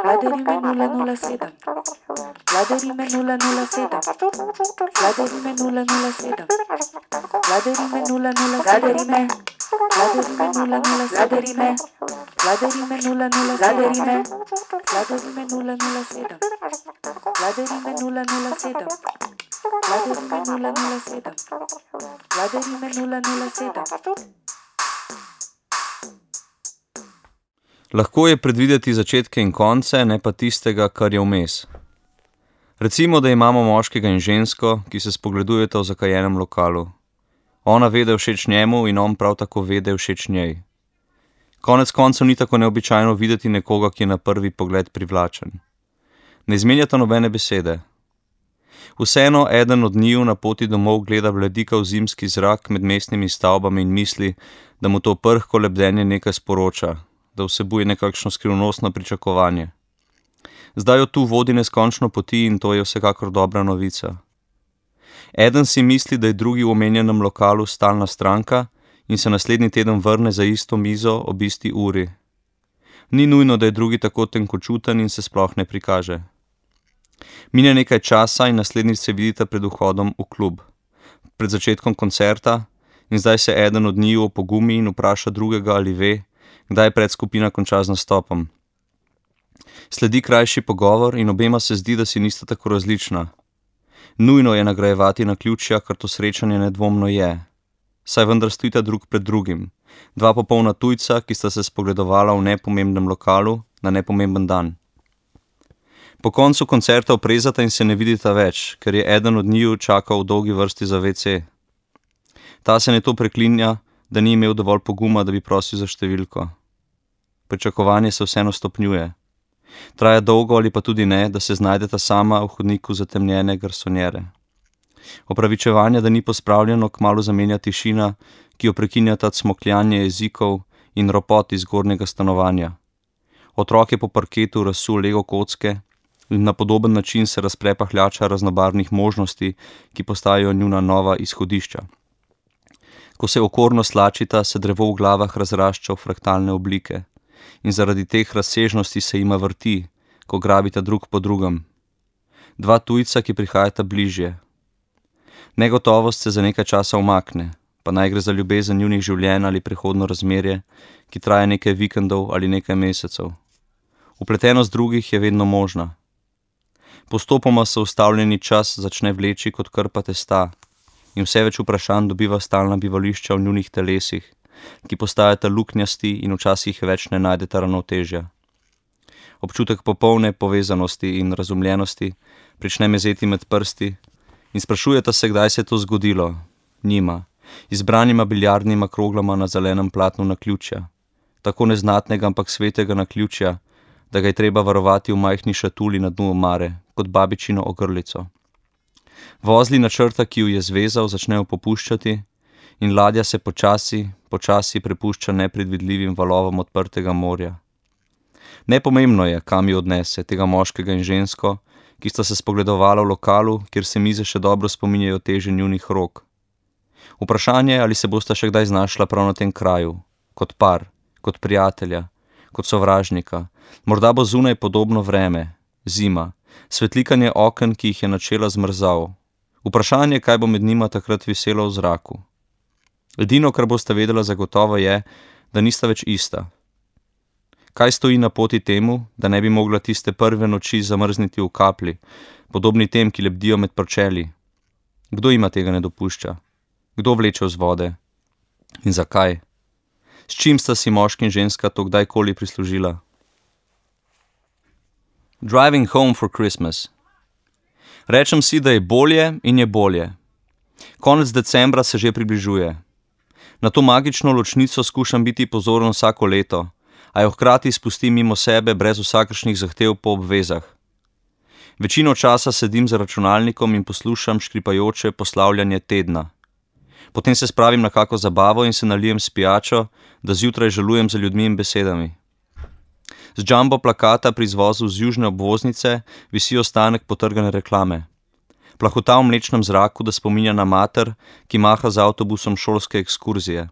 Vladarime 007. Vladarime 007. Vladarime 007. Vladarime 007. Vladarime 007. Vladarime 007. Vladarime 007. Vladarime 007. Vladarime 007. Vladarime 007. Lahko je predvideti začetke in konce, ne pa tistega, kar je vmes. Recimo, da imamo moškega in žensko, ki se spogledujeta v zakajenem lokalu. Ona ve, da je všeč njemu in on prav tako ve, da je všeč njej. Konec koncev ni tako neobičajno videti nekoga, ki je na prvi pogled privlačen. Ne izmenjata nobene besede. Vseeno eden od njiju na poti domov gleda bledikav zimski zrak med mestnimi stavbami in misli, da mu to prhko lebdenje nekaj sporoča, da vsebuje nekakšno skrivnostno pričakovanje. Zdaj jo tu vodi neskončno poti in to je vsekakor dobra novica. Eden si misli, da je drugi v omenjenem lokalu stalna stranka in se naslednji teden vrne za isto mizo ob isti uri. Ni nujno, da je drugi tako tenkočuten in se sploh ne prikaže. Mine nekaj časa in naslednjič se vidita pred vhodom v klub, pred začetkom koncerta, in zdaj se eden od njiju opogumi in vpraša drugega, ali ve, kdaj predskupina konča z nastopom. Sledi krajši pogovor in obema se zdi, da si nista tako različna. Nujno je nagrajevati naključja, kar to srečanje nedvomno je. Saj vendar stojita drug pred drugim, dva popolna tujca, ki sta se spogledovala v nepomembnem lokalu na nepomemben dan. Po koncu koncerta oprezata in se ne vidita več, ker je eden od njiju čakal v dolgi vrsti za WC. Ta se neto preklinja, da ni imel dovolj poguma, da bi prosil za številko. Pričakovanje se vseeno stopnjuje. Traja dolgo ali pa tudi ne, da se znajdeta sama v hodniku zatemnjene garsonjere. Opravičevanje, da ni pospravljeno, kmalu zamenja tišina, ki jo prekinjata cmokljanje jezikov in ropot iz zgornjega stanovanja. Otrok je po parketu razsul lego kocke in na podoben način se razpre pahljača raznobarvnih možnosti, ki postajajo njuna nova izhodišča. Ko se okorno slačita, se drevo v glavah razrašča v fraktalne oblike in zaradi teh razsežnosti se jima vrti, ko grabita drug po drugem. Dva tujca, ki prihajata bližje. Negotovost se za nekaj časa umakne, pa naj gre za ljubezen njunih življenj ali prehodno razmerje, ki traja nekaj vikendov ali nekaj mesecev. Vpletenost drugih je vedno možna. Postopoma se ustavljeni čas začne vleči kot krpa testa in vse več vprašanj dobiva stalna bivališča v njunih telesih, ki postajata luknjasti in včasih več ne najdeta ravnotežja. Občutek popolne povezanosti in razumljenosti prične mezeti med prsti in sprašujeta se, kdaj se je to zgodilo, njima, izbranima biljardnima kroglama na zelenem platnu naključja, tako neznatnega, ampak svetega naključja, da ga je treba varovati v majhni šatuli na dnu omare, kot babičino ogrlico. Vozli načrta, ki ju je zvezal, začnejo popuščati in ladja se počasi prepušča nepredvidljivim valovom odprtega morja. Nepomembno je, kam ju odnese, tega moškega in žensko, ki sta se spogledovala v lokalu, kjer se mize še dobro spominjajo teže njunih rok. Vprašanje, ali se bosta še kdaj znašla prav na tem kraju, kot par, kot prijatelja, kot sovražnika. Morda bo zunaj podobno vreme, zima, svetlikanje oken, ki jih je načela zmrzal. Vprašanje, kaj bo med njima takrat viselo v zraku. Edino, kar bosta vedela zagotovo je, da nista več ista. Kaj stoji na poti temu, da ne bi mogla tiste prve noči zamrzniti v kapli, podobni tem, ki lebdijo med pročeli? Kdo ima tega ne dopušča? Kdo vleče vzvode? In zakaj? S čim sta si moški in ženska to kdajkoli prislužila? Driving home for Christmas. Rečem si, da je bolje in je bolje. Konec decembra se že približuje. Na to magično ločnico skušam biti pozoren vsako leto, a jo hkrati spustim mimo sebe brez vsakršnih zahtev po obvezah. Večino časa sedim za računalnikom in poslušam škripajoče poslavljanje tedna. Potem se spravim na kako zabavo in se nalijem s pijačo, da zjutraj žalujem za ljudmi in besedami. Z jumbo plakata pri izvozu z južne obvoznice visi ostanek potrgane reklame. Plahota v mlečnem zraku, da spominja na mater, ki maha z avtobusom šolske ekskurzije.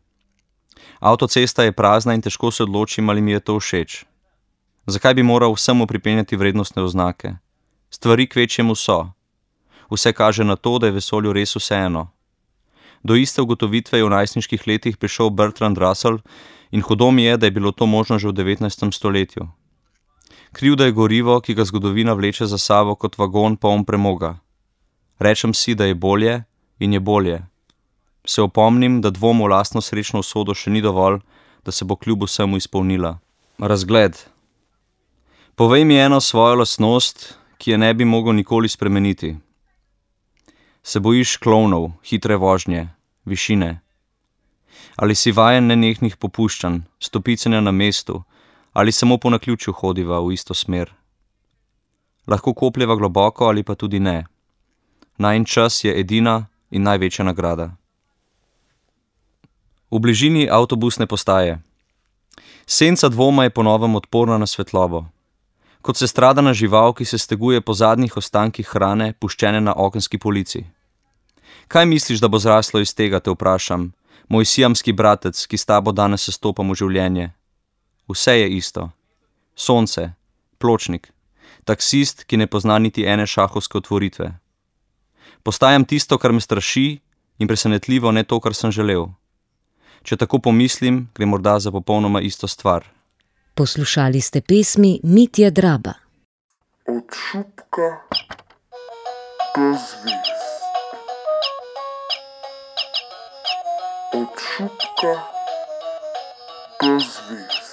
Avtocesta je prazna in težko se odločim, ali mi je to všeč. Zakaj bi moral vsemu pripenjati vrednostne oznake? Stvari kvečjemu so. Vse kaže na to, da je vesolju res vseeno. Do iste ugotovitve je v najstniških letih prišel Bertrand Russell in hudo mi je, da je bilo to možno že v 19. stoletju. Krivda je gorivo, ki ga zgodovina vleče za sabo kot vagon poln premoga. Rečem si, da je bolje in je bolje. Se opomnim, da dvom v lastno srečno usodo še ni dovolj, da se bo kljub vsemu izpolnila. Razgled. Povej mi eno svojo lastnost, ki je ne bi mogel nikoli spremeniti. Se bojiš klovnov, hitre vožnje, višine? Ali si vajen nenehnih popuščanj, stopicenja na mestu, ali samo po naključju hodiva v isto smer? Lahko kopljeva globoko ali pa tudi ne. Najin čas je edina in največja nagrada. V bližini avtobusne postaje. Senca dvoma je ponovem odporna na svetlobo. Kot sestradana žival, ki se steguje po zadnjih ostankih hrane, puščene na okenski polici. Kaj misliš, da bo zraslo iz tega, te vprašam, moj siamski bratec, ki s tabo danes sestopam v življenje? Vse je isto. Sonce, pločnik, taksist, ki ne pozna niti ene šahovske otvoritve. Postajam tisto, kar me straši, in presenetljivo ne to, kar sem želel. Če tako pomislim, gre morda za popolnoma isto stvar. Poslušali ste pesmi Mitje Draba. Od šupka do zvezd. Od šupka do zvezd.